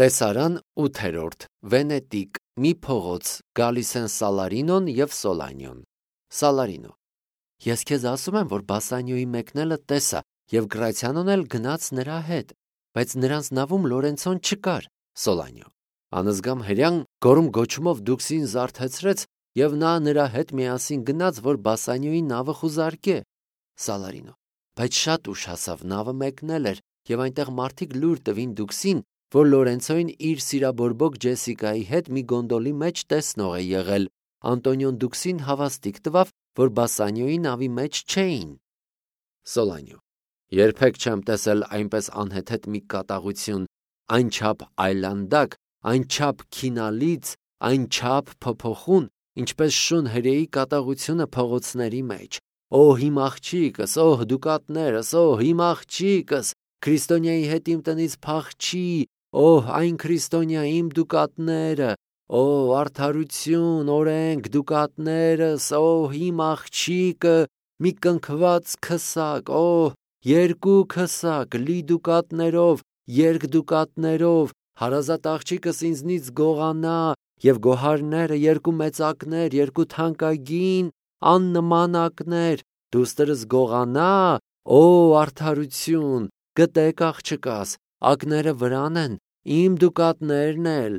Տեսարան 8-րդ Վենետիկ մի փողոց գալիս են Սալարինոն եւ Սոլանյոն։ Սալարինո. Ես քեզ ասում եմ, որ Բասանյոյի մեկնելը տեսա եւ Գրացիանոն էլ գնաց նրա հետ, բայց նրանց նավում Լորենցոն չկար։ Սոլանյո. Անզգամ հրյան գորում գոչումով դուքսին զարթեցրեց եւ նա նրա հետ միասին գնաց, որ Բասանյոյի նավը խուզարկե։ Սալարինո. Բայց շատ ուշ հասավ, նավը մեկնել էր եւ այնտեղ մարդիկ լուր տվին դուքսին, որ Լորենցոին իր սիրաբորբոք Ջեսիկայի հետ մի գոնդոլի մեջ տեսնող է եղել։ Անտոնիոն դուքսին հավաստիք տվավ, որ Բասանյոյի նավի մեջ չէին։ Սոլանյո. Երբեք չեմ տեսել այնպես անհեթեթ մի կատաղություն, այնչափ այլանդակ, այնչափ քինալից, այնչափ փոփոխուն, ինչպես շուն հրեի կատաղությունը փողոցների մեջ։ Օ իմ աղջիկս, օ դուկատներս, օ իմ աղջիկս, Քրիստոնյայի հետ իմ տնից փախչի, օ այն Քրիստոնյա իմ դուկատները, օ արդարություն, օրենք, դուկատներս, օ իմ աղջիկը, մի կնքված քսակ, օ երկու քսակ, լի դուկատներով, երկդուկատներով, հարազատ աղջիկս ինձնից գողանա, եւ գոհարները երկու մեծակներ, երկու թանկագին, աննմանակներ, դուստրս գողանա, օ արդարություն, գտեք աղջկաս, ակները վրան են, իմ դուկատներն էլ։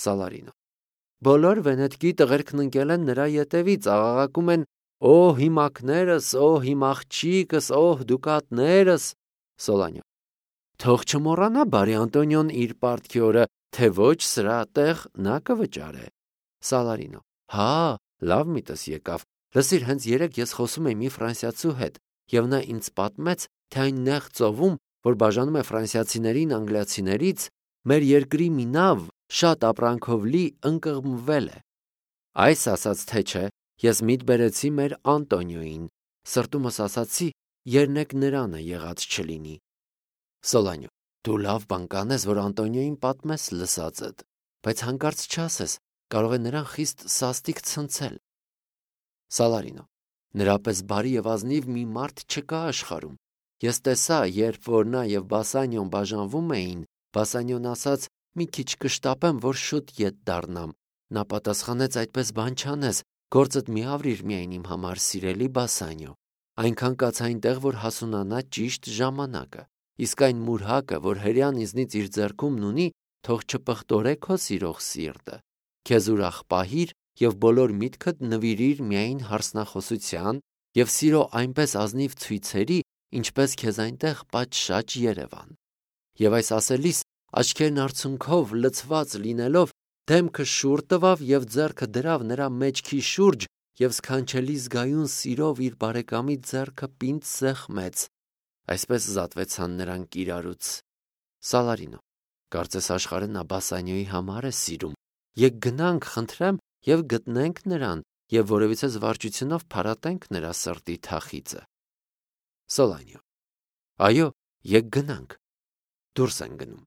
Սալարինո. Բոլոր Վենետկի տղերքն ընկել են նրա ետևից, աղաղակում են. Օ հիմակներս, օ իմ աղջիկս, օ դուկատներս։ Սոլանյո. Թող չմոռանա բարի Անտոնիոն իր պարտքի օրը, թե ոչ սրա տեղ նա կվճարե։ Սալարինո. Հա, լավ միտս եկավ։ Լսիր, հենց երեկ ես խոսում էի մի ֆրանսիացու հետ, եւ նա ինձ պատմեց, թե այն նեղ ծովում, որ բաժանում է ֆրանսիացիներին անգլիացիներից, մեր երկրի մի նավ շատ ապրանքով լի ընկղմվել է։ Այս ասաց թե չէ, ես միտ բերեցի մեր Անտոնիոյին, սրտումս ասացի, երնեք նրանը եղած չլինի։ Սոլանյո. Դու լավ բան կանես, որ Անտոնիոյին պատմես լսածդ, բայց հանկարծ չասես, կարող է նրան խիստ սաստիկ ցնցել։ Սալարինո. Նրա պես բարի եւ ազնիվ մի մարդ չկա աշխարհում։ Ես տեսա, երբ որ նա եւ Բասանյոն բաժանվում էին, Բասանյոն ասաց. մի քիչ կշտապեմ, որ շուտ ետ դառնամ։ Նա պատասխանեց. այդպես բան չանես, գործդ մի ավրիր միայն իմ համար, սիրելի Բասանյո։ Այնքան կաց այնտեղ, որ հասունանա ճիշտ ժամանակը։ Իսկ այն մուրհակը, որ հրյան ինձնից իր ձեռքումն ունի, թող չպղտորե քո սիրող սիրտը։ Քեզ ուրախ պահիր եւ բոլոր միտքդ նվիրիր միայն հարսնախոսության եւ սիրո այնպես ազնիվ ցույցերի, ինչպես քեզ այնտեղ պատշաճ Երևան։ Եվ այս ասելիս աչքերն արցունքով լցված լինելով, դեմքը շուռ տվավ եւ ձեռքը դրավ նրա մեջքի շուրջ եւ սքանչելի զգայուն սիրով իր բարեկամի ձեռքը պինդ սեղմեց։ Այսպես զատվեցան նրանք իրարուց։ Սալարինո. Կարծես աշխարհը նա Բասանյոյի համար է սիրում։ Եկ գնանք, խնդրեմ, եւ գտնենք նրան, եւ որևիցե զվարճությունով փարատենք նրա սրտի թախիծը։ Սոլանյո. Այո, եկ գնանք։ Դուրս են գնում։